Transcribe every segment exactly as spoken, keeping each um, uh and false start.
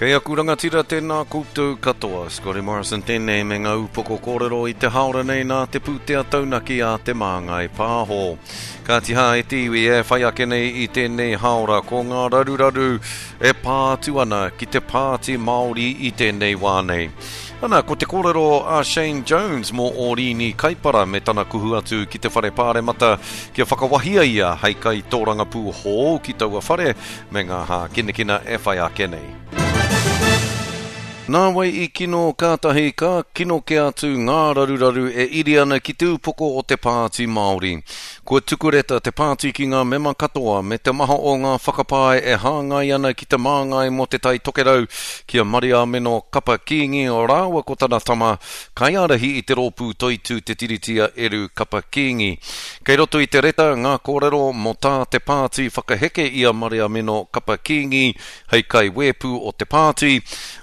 Kei aku rangatira tēnā koutou katoa. Scotty Morrison tēnei me ngā upoko kōrero i te haora nei nā te pūtea taunaki a Te Māngai Pāho. Kāti hā e te iwi e whai ake nei i tēnei haora ko ngā raruraru e pā atu ana ki te Pāti Māori i tēnei wā nei. Ana, ko te kōrero a Shane Jones mō Oriini Kaipara me tana kuhu atu ki te whare pāremata kia whakawahia ia hei kai tōrangapū hou ki taua whare me ngā hākinakina e whai ake nei. Nā wai i kino kātahi ka kino ke atu ngā raruraru e iri ana ki te upoko o te Pāti Māori. Kua tukureta te pāti ki ngā mema katoa me te maha o ngā whakapae e hāngai ana ki te māngai mō te Tai Tokerau ki a Mariameno Kapa Kīngi rāua ko tana tama kaiārahi i te rōpū Toitū Te Tiriti a Eru Kapa Kīngi. Kei roto i te reta ngā kōrero mō tā te pāti whakaheke i a Mariameno Kapa Kīngi hei kaiwēpū o te pāti,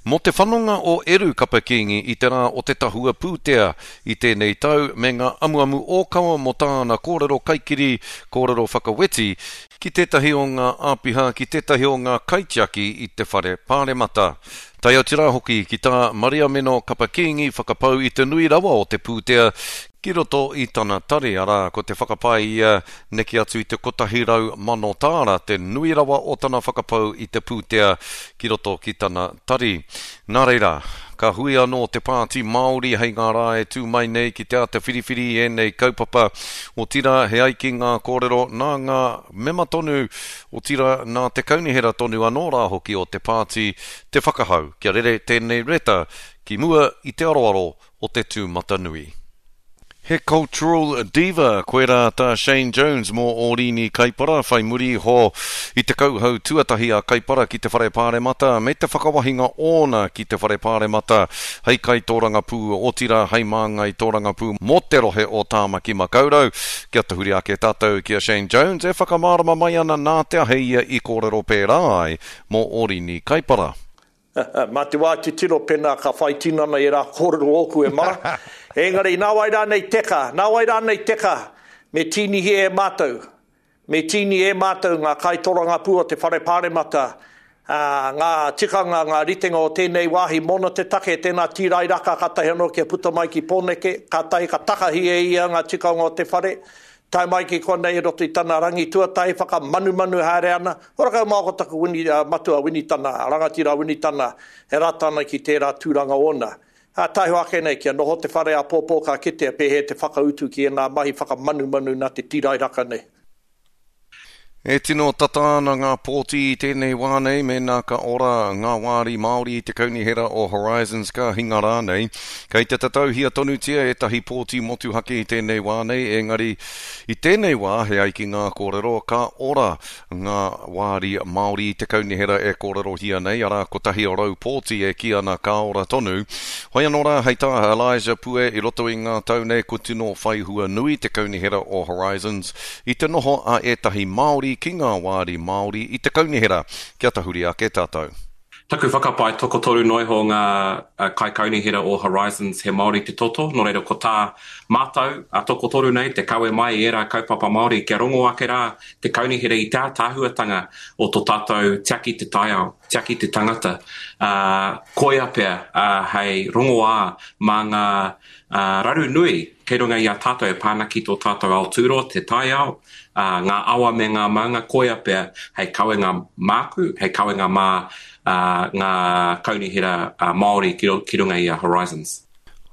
mō te whanonga o Eru Kapa Kīngi i te rā o te tahua pūtea i tēnei tau me ngā amuamu ōkawa mō tāna kōrero kaikiri, kōrero whakaweti, ki tētahi o ngā āpiha, ki tētahi o ngā kaitiaki i te whare pāremata. Tae atu rā hoki ki tā Mariameno Kapa Kīngi whakapau i te nui rawa o te pūtea ki roto i tana tari, arā, ko te whakapae ia neke atu i te kotahi rau mano tāra, te nui rawa o tana whakapau i te pūtea ki roto ki tana tari. Nā reira, ka hui anō te Pāti Māori hei ngā rā e tū mai nei ki te āta whiriwhiri i ēnei kaupapa. Otirā, he ai ki ngā kōrero nā ngā mema tonu, otirā nā te kaunihera tonu anō rā hoki o te pāti te whakahau kia rere tēnei reta ki mua i te aroaro o te tūmatanui. He cultural diva, koirā tā Shane Jones mō Oriini Kaipara, whai muri iho i te kauhau tuatahi a Kaipara ki te whare pāremata me te whakawahinga ōna ki te whare pāremata hei kaitōrangapū, otirā hei māngai tōrangapū mō te rohe o Tāmaki Makaurau. Kia tahuri ake tātou ki a Shane Jones e whakamārama mai ana nā te aha ia i kōrero pērā ai mō Oriini Kaipara. Mā te wā titiro pēnā ka whai tinana i rā kōrero ōku e mara. Engari, nā wai rānei teka, nā wai rānei teka, me tīnihi e mātou. Me tīni e mātou ngā kaitorangapū o te whare pāremata, ā, ngā tikanga, ngā ritenga o tēnei wāhi mōna te take, tēnā tīrairaka kātahi anō kia puta mai ki Pōneke, kātahi ka takahi e ia ngā tikanga o te whare, tae mai ki konei i roto i tana rangi tuatahi, whakanumanu haere ana. Ora kau mā ko taku wini, uh, matua Winitana, rangatira Winitana, e rata ana ki tērā tūranga ōna. Ā, taiho ake nei, kia noho te whare āpōpō ka kitea pēhea te whakautu ki ēnā mahi whakamanumanu nā te tīrairaka nei. E tino tata ana ngā pōti i tēnei wā nei mēnā ka ora ngā wāri Māori i te kaunihera o Horizons ka hinga rānei. Kei te tatauhia tonutia ētahi pōti motuhake i tēnei wā nei, engari i tēnei wā he ai ki ngā kōrero ka ora ngā wāri Māori i te kaunihera e kōrerohia nei, arā kotahi rau pōti e kī ana ka ora tonu. Hoi anō rā hei tā Elijah Pue i roto i ngā tau nei ko tino whaihua nui te kaunihera o Horizons i te noho a ētahi Māori ki ngā wāri Māori i te kaunihera. Kia tahuri ake tātou. Taku whakapae tokotoru noa iho ngā kaikaunihera o Horizons he Māori te toto, nō reira ko tā mātou a tokotoru nei te kawe mai i ērā kaupapa Māori kia rongo ake rā te kaunihera i te ātaahuatanga o tō tātou tiaki te taiao, tiaki te tangata. Uh, koia pea uh, hei rongoā mā ngā uh, raru nui kei runga i a tātou e pā ana ki tō tātou ao tūroa, te taiao, uh, ngā awa me ngā maunga, koia pea hei kawenga māku, hei kawenga mā uh, ngā kaunihera uh, Māori ki, ki runga i a Horizons.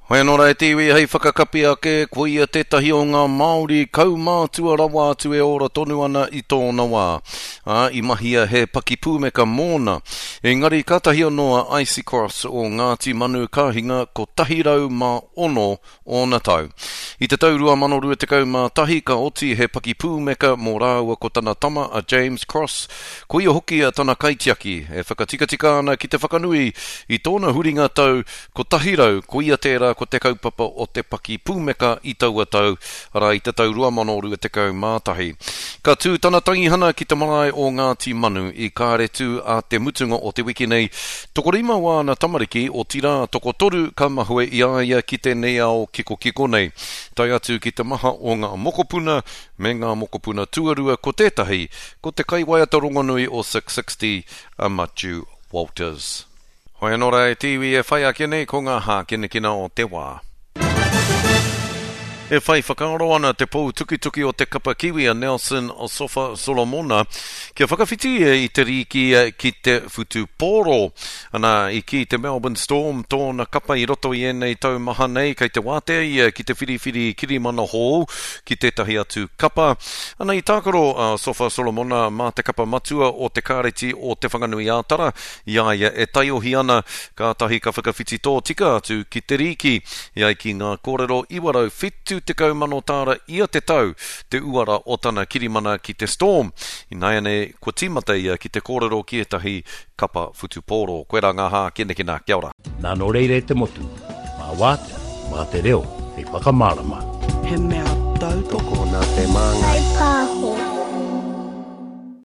Hoi anō rā e te iwi hei whakakapi ake, ko ia tētahi o ngā Māori kaumātua rawa atu e ora tonu ana i tōna wā. Ā, i mahia he pakipūmeka mōna. Engari kātahi anō a Icy Cross o Ngāti Manu ka hinga kotahi rau mā ono ōna tau. I te tau rua mano rua tekau mā tahi ka oti he pakipūmeka mō rāua ko tana tama a James Cross, ko ia hoki a tana kaitiaki e whakatikatika ana ki te whakanui i tōna huringa tau kotahi rau, ko ia tērā ko te kaupapa o te pakipūmeka i taua tau, arā i te tau rua mano rua tekau mā tahi. Ka tū tana tangihana ki te marae o Ngāti Manu i Kāretu a te mutunga o te wiki nei. Tokorima wāna tamariki, otirā tokotoru ka mahue i a ia ki tēnei ao kikokiko nei. Tae atu ki te maha o ngā mokopuna me ngā mokopuna tuarua ko tētahi, ko te kaiwaiata rongonui o six sixty, a Matiu Walters. Hoi anō rā e te iwi e whai ake nei ko ngā hākinakina o te wā. E whai whakaaro ana te pou tukituki o te kapa Kiwi a Nelson Asofa Solomona kia whakawhiti ia i te rīki ki te whutupōro. Ana, i kī te Melbourne Storm tōna kapa i roto i ēnei tau maha nei kei te wātea ia ki te whiriwhiri kirimana hou ki tētahi atu kapa. Ana, i tākaro a Sofa Solomona mā te kapa matua o te Kāreti o Te Whanganui-ā-Tara i a ia e taiohi ana, kātahi ka whakawhiti tōtika atu ki te rīki. E ai ki ngā kōrero iwa rau whitu tekau mano tāra ia te tau te uara o tana kirimana ki te Storm. Ināianei, kua tīmata ia ki te kōrero ki ētahi kapa whutupōro. Koirā ngā hākinakina. Kia ora. Nā, nō reira e te motu, mā wātea, mā te reo hei whakamārama. He mea tautoko Tokona te māngai. Whai pāho.